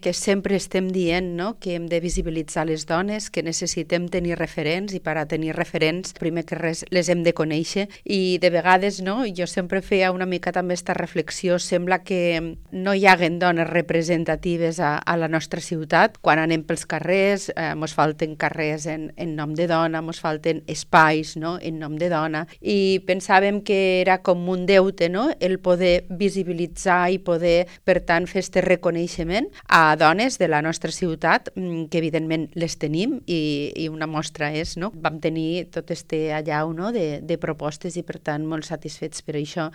que sempre estem dient, no?, que hem de visibilitzar les dones, que necessitem tenir referents i per a tenir referents, primer que res, les hem de conèixer i de vegades, no?, jo sempre feia una mica també aquesta reflexió, sembla que no hi haguen dones representatives a la nostra ciutat. Quan anem pels carrers, mos falten carrers en nom de dona, mos falten espais, no?, en nom de dona, i pensàvem que era com un deute, no?, el poder visibilitzar i poder, per tant, fer este reconeixement a dones de la nostra ciutat, que evidentment les tenim i una mostra és, no? Vam tenir tot este allau, no?, de propostes i per tant molt satisfets per això.